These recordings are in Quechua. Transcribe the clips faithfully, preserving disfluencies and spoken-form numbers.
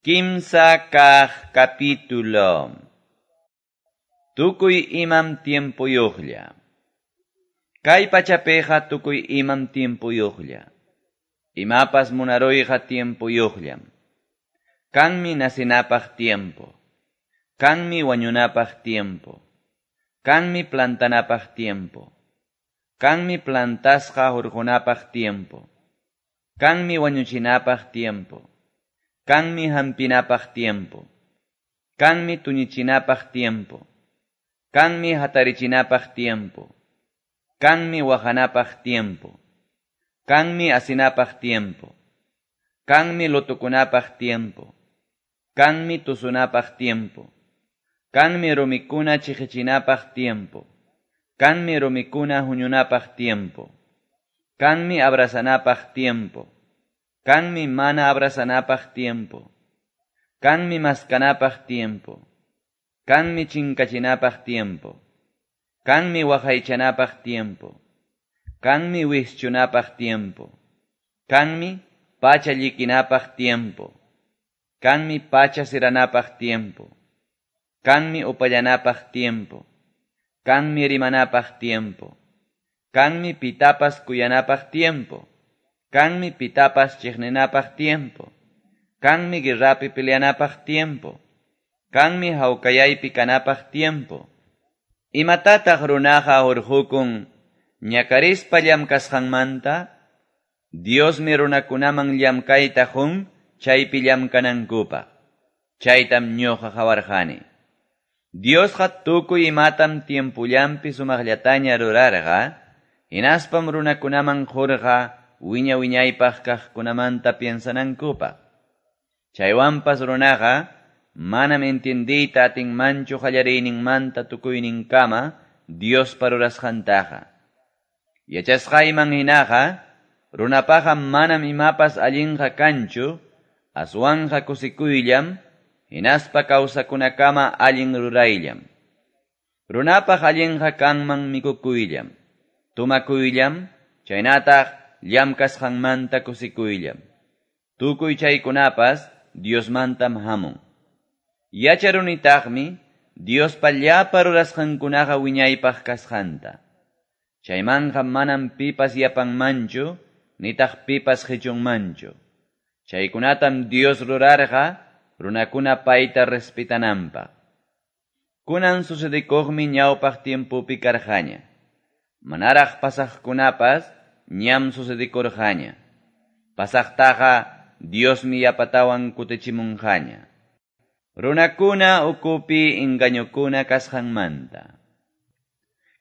Kimsa kaq capítulo. Tukuy imam tiempuyuqlla. Kay pachapiqa tukuy imam tiempuyuqlla. Imapas munaruyqa tiempuyuqllam. Kanmi nacinapaq tiempo. Kanmi wañunapaq tiempo. Kanmi plantanapaq tiempo. Kanmi plantasqa hurqunapaq tiempo. Kanmi wañuchinapaq tiempo. Kanmi hampinapaq tiempo. Kanmi tuñichinapaq tiempo. Kanmi hatarichinapaq tiempo. Kanmi waqanapaq tiempo. Kanmi asinapaq tiempo. Kanmi lutukunapaq tiempo. Kanmi tusunapaq tiempo. Kanmi rumikuna chiqichinapaq tiempo. Kanmi rumikuna huñunapaq tiempo. Kanmi abrazanapaq tiempo. Kanmi mana abrazanapaq tiempo. Kanmi maskanapaq tiempo. Kanmi chinkachinapaq tiempo. Kanmi waqaychanapaq tiempo. Kanmi wischunapaq tiempo. Kanmi pacha llikinapaq tiempo. Kanmi pacha siranapaq tiempo. Kanmi upallanapaq tiempo. Kanmi rimanapaq tiempo. Kanmi pitapas kuyanapaq tiempo. Kanmi pitapas chiqninapaq tiempo. Kanmi guerrapi peleanapaq tiempo. Kanmi hawkayaypi kanapaq tiempo. Imatataq runaqa hurqukun ñakarispa llamkasqanmanta? Diosmi runakunaman llamkayta qun chaypi llamkanankupaq. Chaytam ñuqa qawarqani. Diosqa tukuy imatam tiempullanpi sumaqllataña rurarqa, hinaspam runakunaman qurqa wiña wiñaypaq kaqkunamanta piensanankupaq. Chaywanpas runaqa manam entiendiyta atinmanchu qallariyninmanta tukuyninkama Diospa rurasqantaqa. Yachasqayman hinaqa runapaqa manam imapas allinqa kanchu, aswanqa kusikuyllam, hinaspa kawsakunakama allin rurayllam. Runapaq allinqa kanman mikukuyllam, tumakuyllam, chaynataq llamkasqanmanta kusikuyllam. Tukuy chaykunapas Diosmantam hamun. Yacharunitaqmi Diospa llapa rurasqankunaqa wiñaypaq kasqanta. Chaymanqa manam pipas yapanmanchu, nitaq pipas qichunmanchu. Chaykunatam Dios rurarqa runakuna payta respetananpaq. Kunan sucedikuqmi ñawpaq tiempopi karqaña. Manaraq pasaqkunapas ñam sucedikurqaña. Pasaqtaqa Diosmi yapatawan kutichimunqaña. Runakuna ukupi engañukuna kasqanmanta.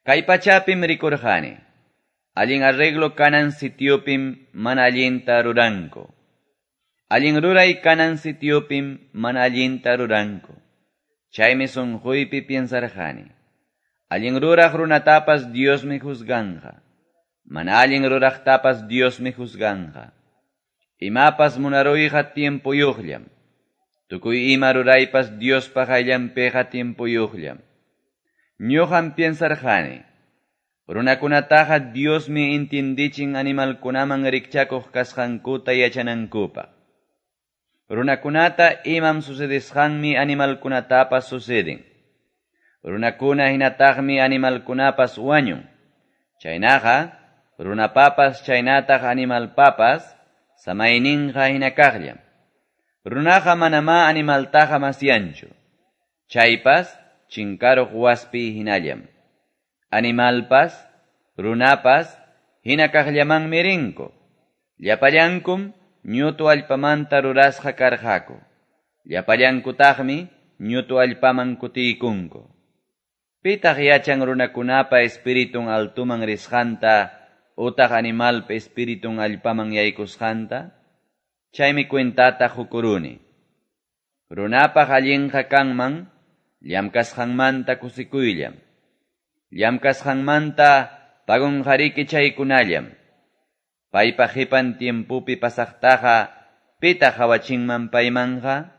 Kay pachapim rikurqani. Allin arreglo kanan sitiopim mana allinta ruranku. Allin ruray kanan sitiopim mana allinta ruranku. Chaymi sunquypi piensarqani. Allin ruraq runatapas Diosmi juzganqa. Mana allin ruraqtapas Diosmi juzganqa. Imapas munaruyqa tiempuyuqllam. Tukuy ima ruraypas Diospa qayllanpiqa tiempuyuqllam. Ñuqam piensarqani. Runakunataqa Diosmi entiendichin animalkunaman rikchakuq kasqankuta yachanankupaq. Runakunata imam sucedisqanmi animalkunatapas suceden. Runakuna hinataqmi animalkunapas wañun. Chaynaqa runapapas chaynataq animalpapas samayninqa hinakaqllam. Runaqa manamá animaltaqa masyanchu. Chaypas chinkaruq waspi hinallam. Animalpas, runapas hinakaqllamanmi rinku. Llapallankum ñutu allpamanta rurasqa karqaku. Llapallankutaqmi ñutu allpaman kutiykunku. Pitaq yachan runakunapa espiritun altuman risqanta utaq animalpa espiritun allpaman yaykusqanta? Chaymi cuentata qukuruni. Runapaq allinqa kanman llamkasqanmanta kusikuyllam. Llamkasqanmanta pagunqariki chaykunallam. Paypa qipan tiempopi pasaqtaqa pitaq qawachinman paymanqa?